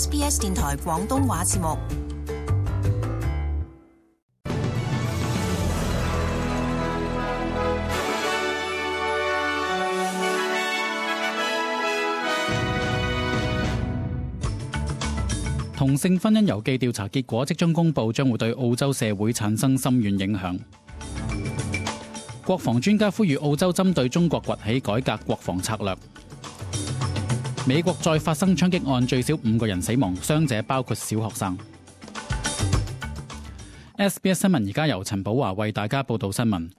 SBS 電台廣東話節目。同性婚姻郵寄調查結果即將公佈，將會對澳洲社會產生深遠影響。國防專家呼籲澳洲針對中國崛起改革國防策略。美國再發生槍擊案，最少5個人死亡，傷者包括小學生。SBS 新聞而家由陳寶華為大家報道新聞。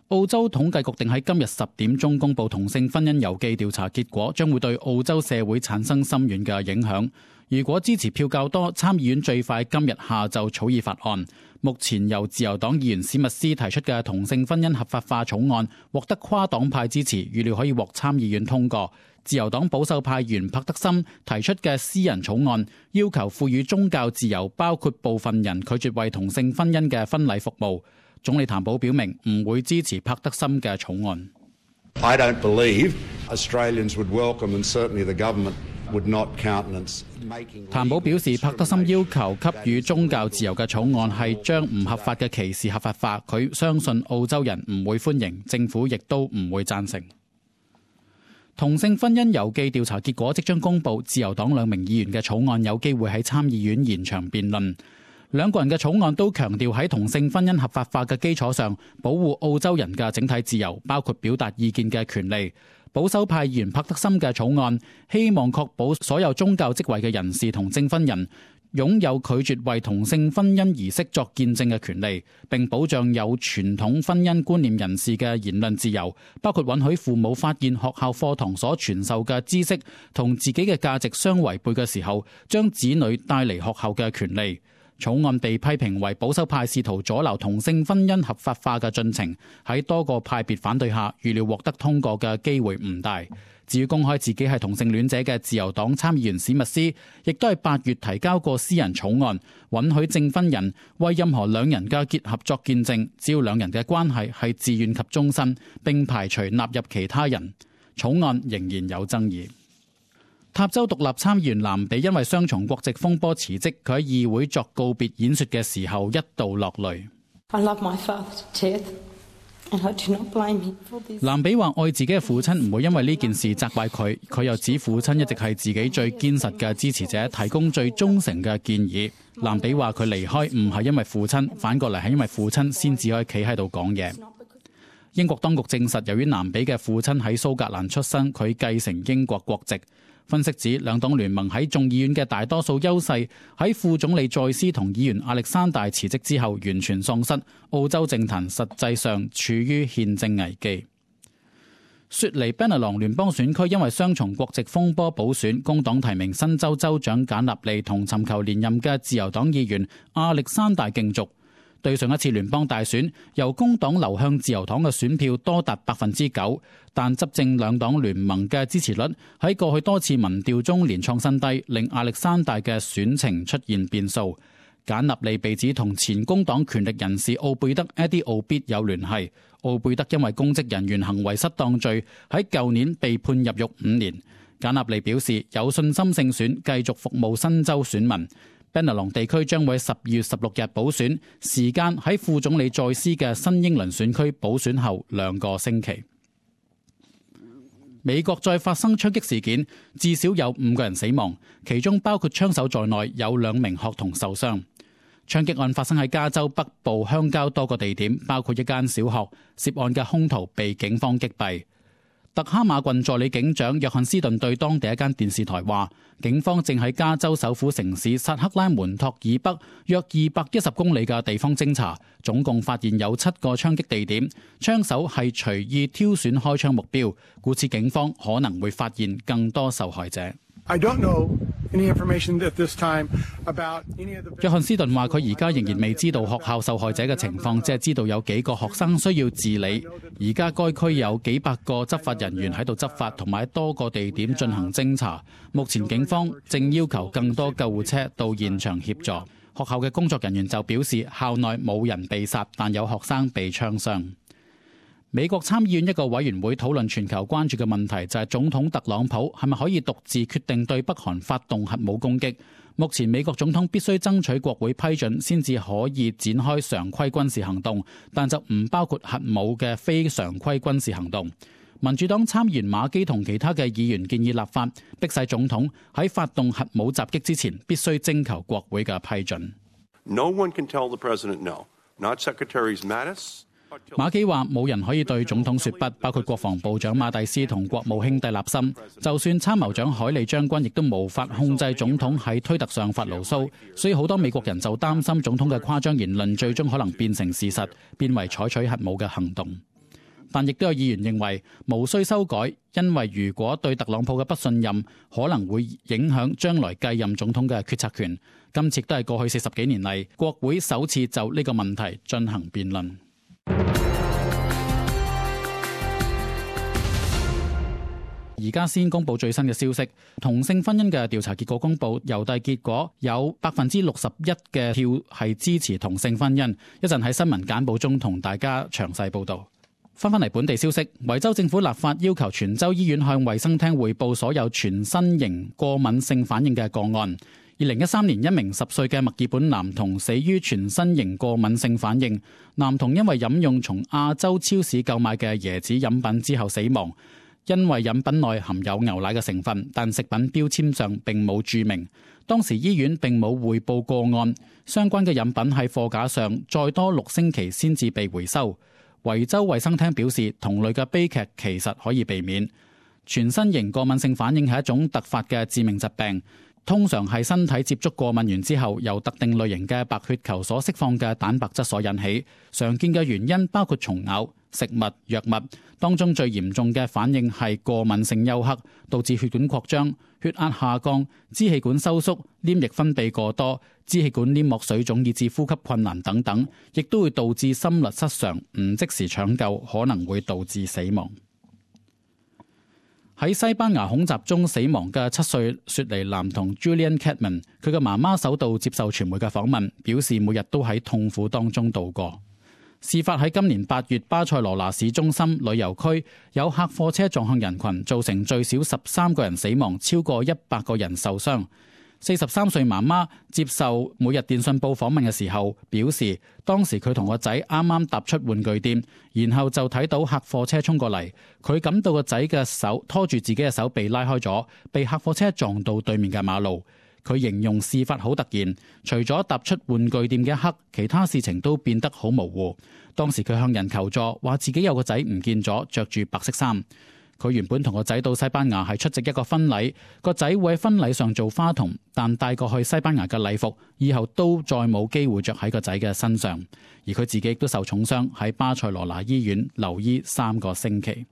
澳洲統計局定喺今日10點鐘公佈同性婚姻郵寄調查結果，將會對澳洲社會產生深遠嘅影響。如果支持票較多，參議院最快今日下晝草擬法案。目前由自由黨議員史密斯提出嘅同性婚姻合法化草案獲得跨黨派支持，預料可以獲參議院通過。自由黨保守派議員帕德森提出嘅私人草案，要求賦予宗教自由，包括部分人拒絕為同性婚姻嘅婚禮服務。總理譚寶表明唔會支持帕德森嘅草案。I don't believe Australians would welcome, and certainly the government would not countenance making. 譚寶表示，帕德森要求給予宗教自由嘅草案係將唔合法嘅歧視合法化，佢相信澳洲人唔會歡迎，政府亦都唔會贊成。同性婚姻郵寄調查結果即將公佈，自由黨2名議員嘅草案有機會喺參議院延長辯論。兩個人嘅草案都強調喺同性婚姻合法化嘅基礎上，保護澳洲人嘅整體自由，包括表達意見嘅權利。保守派議員帕德森嘅草案希望確保所有宗教職位嘅人士同證婚人擁有拒絕為同性婚姻儀式作見證嘅權利，並保障有傳統婚姻觀念人士嘅言論自由，包括允許父母發現學校課堂所傳授嘅知識同自己嘅價值相違背嘅時候，將子女帶離學校嘅權利。草案被批評為保守派試圖阻撓同性婚姻合法化嘅進程，喺多個派別反對下，預料獲得通過嘅機會唔大。至於公開自己係同性戀者嘅自由黨參議員史密斯，亦都係8月提交過私人草案，允許證婚人為任何兩人嘅結合作見證，只要兩人嘅關係係自願及終身，並排除納入其他人。草案仍然有爭議。塔州獨立參議員藍比因為雙重國籍風波辭職，佢喺議會作告別演說嘅時候一度落淚。藍比話愛自己嘅父親，唔會因為呢件事責怪佢。佢又指父親一直係自己最堅實嘅支持者，提供最忠誠嘅建議。藍比話佢離開唔係因為父親，反過嚟係因為父親先至可以企喺度講嘢。英國當局證實，由於藍比嘅父親喺蘇格蘭出生，佢繼承英國國籍。分析指，兩黨聯盟喺眾議院嘅大多數優勢喺副總理再斯同議員亞歷山大辭職之後完全喪失，澳洲政壇實際上處於憲政危機。雪梨 Bennelong 聯邦選區因為雙重國籍風波補選，工黨提名新州州長簡納利同尋求連任嘅自由黨議員亞歷山大競逐。對上一次聯邦大選，由工黨流向自由黨嘅選票多達9%，但執政兩黨聯盟嘅支持率喺過去多次民調中連創新低，令亞歷山大嘅選情出現變數。簡納利被指同前工黨權力人士奧貝德 Eddie Obeid 有聯繫，奧貝德因為公職人員行為失當罪喺舊年被判入獄5年。簡納利表示有信心勝選，繼續服務新州選民。Bennelong 地區將會喺12月16日補選，時間喺副總理再斯嘅新英倫選區補選後2個星期。美國再發生槍擊事件，至少有5個人死亡，其中包括槍手在內，有2名學童受傷。槍擊案發生喺加州北部鄉郊多個地點，包括一間小學，涉案嘅兇徒被警方擊斃。特哈馬郡助理警長約翰斯頓對當地一間電視台話，警方正喺加州首府城市薩克拉門托以北約210公里嘅地方偵查，總共發現有7個槍擊地點，槍手係隨意挑選開槍目標，故此警方可能會發現更多受害者。約翰斯頓話佢而家仍然未知道學校受害者嘅情況，只係知道有幾個學生需要治理。而家該區有幾百個執法人員喺度執法，同埋喺多個地點進行偵查。目前警方正要求更多救護車到現場協助。學校嘅工作人員就表示，校內冇人被殺，但有學生被槍傷。美國參議院一個委員會討論全球關注嘅問題，就係總統特朗普係咪可以獨自決定對北韓發動核武攻擊。目前美國總統必須爭取國會批准先至可以展開常規軍事行動，但就唔包括核武嘅非常規軍事行動。民主黨參議員馬基同其他嘅議員建議立法，迫使總統喺發動核武襲擊之前必須徵求國會嘅批准。No one can tell the president no. Not Secretaries Mattis. 馬基話冇人可以對總統說不，包括國防部長馬蒂斯同國務卿蒂勒森。就算參謀長海利將軍亦都無法控制總統喺推特上發牢騷，所以好多美國人就擔心總統嘅誇張言論最終可能變成事實，變為採取核武嘅行動。但亦都有議員認為無需修改，因為如果對特朗普嘅不信任，可能會影響將來繼任總統嘅決策權。今次都係過去40幾年嚟國會首次就呢個問題進行辯論。而家先公布最新嘅消息，同性婚姻嘅調查結果公布，郵遞結果有61%嘅票係支持同性婚姻。一陣喺新聞簡報中同大家詳細報導。翻返嚟本地消息，維州政府立法要求全州醫院向衛生廳匯報所有全身型過敏性反應嘅個案。2013年，一名10歲嘅墨爾本男童死於全身型過敏性反應。男童因為飲用從亞洲超市購買嘅椰子飲品之後死亡。因為飲品內含有牛奶嘅成分，但食品標籤上並冇註明。當時醫院並冇匯報個案，相關嘅飲品喺貨架上再多6星期先至被回收。維州衛生廳表示，同類嘅悲劇其實可以避免。全身型過敏性反應係一種突發嘅致命疾病，通常係身體接觸過敏原之後，由特定類型嘅白血球所釋放嘅蛋白質所引起。常見嘅原因包括蟲咬、食物、藥物。當中最嚴重嘅反應係過敏性休克，導致血管擴張、血壓下降、支氣管收縮、黏液分泌過多、支氣管黏膜水腫以致呼吸困難等等，亦都會導致心律失常，唔即時搶救可能會導致死亡。喺西班牙恐襲中死亡嘅7歲雪梨男童 Julian Cadman， 佢嘅媽媽首度接受傳媒嘅訪問，表示每日都喺痛苦當中度過。事發喺今年8月，巴塞羅那市中心旅遊區有客貨車撞向人群，造成最少13個人死亡，超過100個人受傷。43歲媽媽接受每日電訊報訪問嘅時候表示，當時佢同個仔啱啱踏出玩具店，然後就睇到客貨車衝過嚟，佢感到個仔嘅手拖住自己嘅手被拉開咗，被客貨車撞到對面嘅馬路。佢形容事發好突然，除咗踏出玩具店嘅一刻，其他事情都變得好模糊。當時佢向人求助，話自己有個仔唔見咗，着住白色衫。佢原本同個仔到西班牙係出席一個婚禮，個仔會喺婚禮上做花童，但帶過去西班牙嘅禮服以後都再冇機會着喺個仔嘅身上。而佢自己亦都受重傷，喺巴塞羅那醫院留醫3個星期。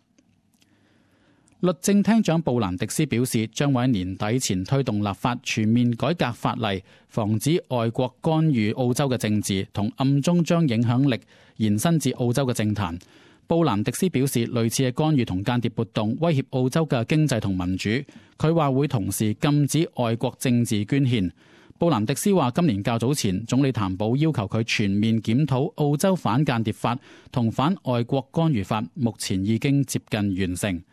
律政廳長布蘭迪斯表示，將會喺年底前推動立法，全面改革法例，防止外國干預澳洲嘅政治，同暗中將影響力延伸至澳洲嘅政壇。布蘭迪斯表示，類似嘅干預同間諜活動威脅澳洲嘅經濟同民主。佢話會同時禁止外國政治捐獻。布蘭迪斯話，今年較早前，總理譚寶要求佢全面檢討澳洲反間諜法同反外國干預法，目前已經接近完成。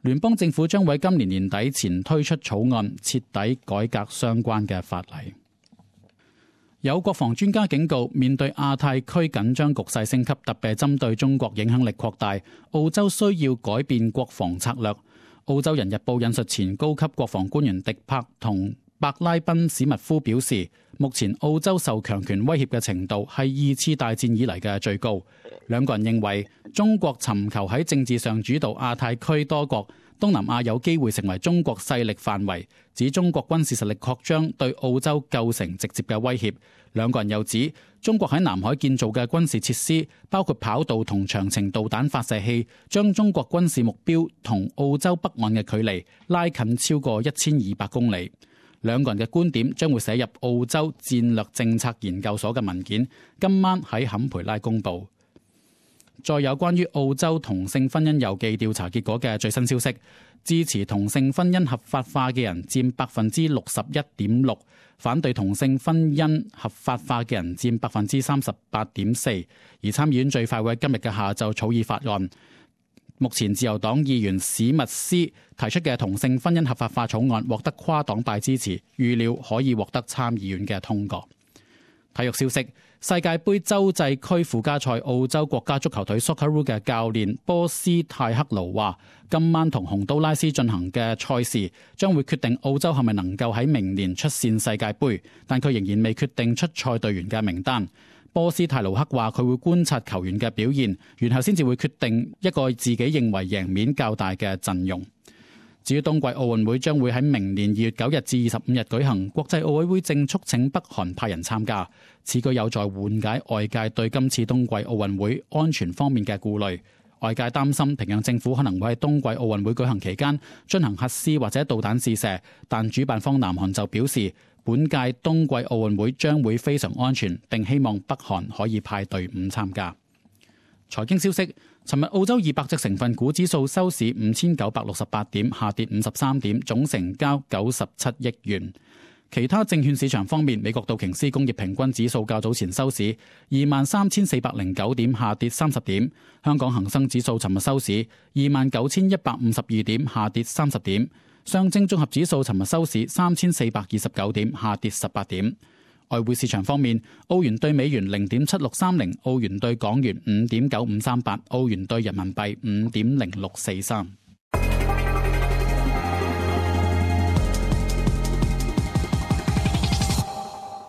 聯邦政府將會今年年底前推出草案，徹底改革相關嘅法例。有國防專家警告，面對亞太區緊張局勢升級，特別係針對中國影響力擴大，澳洲需要改變國防策略。澳洲人日報引述前高級國防官員迪柏同伯拉賓史密夫表示，目前澳洲受強權威脅嘅程度係2次大戰以嚟嘅最高。兩個人認為，中國尋求喺政治上主導亞太區多國，東南亞有機會成為中國勢力範圍，指中國軍事實力擴張對澳洲構成直接嘅威脅。兩個人又指，中國喺南海建造嘅軍事設施，包括跑道同長程導彈發射器，將中國軍事目標同澳洲北岸嘅距離拉近超過1200公里。兩個人嘅觀點將會寫入澳洲戰略政策研究所嘅文件，今晚喺坎培拉公佈。再有關於澳洲同性婚姻郵寄調查結果嘅最新消息，支持同性婚姻合法化嘅人佔61.6%，反對同性婚姻合法化嘅人佔38.4%。而參議院最快會喺今日嘅下晝草擬法案，目前自由黨議員史密斯提出嘅同性婚姻合法化草案獲得跨黨派支持，預料可以獲得參議院嘅通過。體育消息：世界盃洲際區附加賽，澳洲國家足球隊 Socceroo 嘅教練波斯泰克盧話，今晚同洪都拉斯進行嘅賽事將會決定澳洲係咪能夠喺明年出線世界盃，但佢仍然未決定出賽隊員嘅名單。波斯泰盧克話佢會觀察球員嘅表現，然後先至會決定一個自己認為贏面較大嘅陣容。至於冬季奧運會將會喺明年2月9日至25日舉行，國際奧委會正促請北韓派人參加，此舉有助緩解外界對今次冬季奧運會安全方面嘅顧慮。外界擔心平壤政府可能會喺冬季奧運會舉行期間進行核試或者導彈試射，但主辦方南韓就表示，本屆冬季奧運會將會非常安全，並希望北韓可以派隊伍參加。財經消息：尋日澳洲200隻成分股指數收市5968點，下跌53點，總成交97億元。其他證券市場方面，美國道瓊斯工業平均指數較早前收市23,409點，下跌30點。香港恒生指數尋日收市29,152點，下跌30點。上證綜合指數尋日收市3,429點，下跌18點。外匯市場方面，澳元對美元0.7630，澳元對港元5.9538，澳元對人民幣5.0643。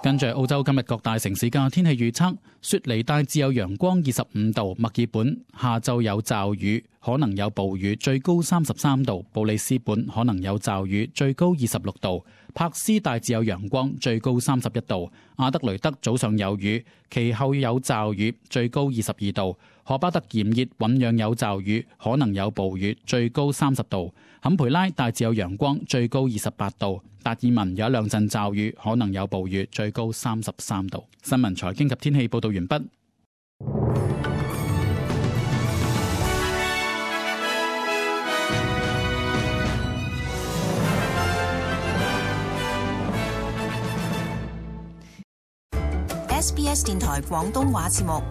跟住澳洲今日各大城市嘅天氣預測：雪梨大致有陽光25度，墨爾本下晝有驟雨，可能有暴雨，最高33度；布里斯本可能有驟雨，最高26度；柏斯大致有陽光，最高31度；阿德雷德早上有雨，其後有驟雨，最高22度；荷巴特炎熱，醞釀有驟雨，可能有暴雨，最高30度；坎培拉大致有陽光，最高28度；達爾文有一兩陣驟雨，可能有暴雨，最高33度。新聞財經及天氣報道完畢。SBS 電台廣東話節目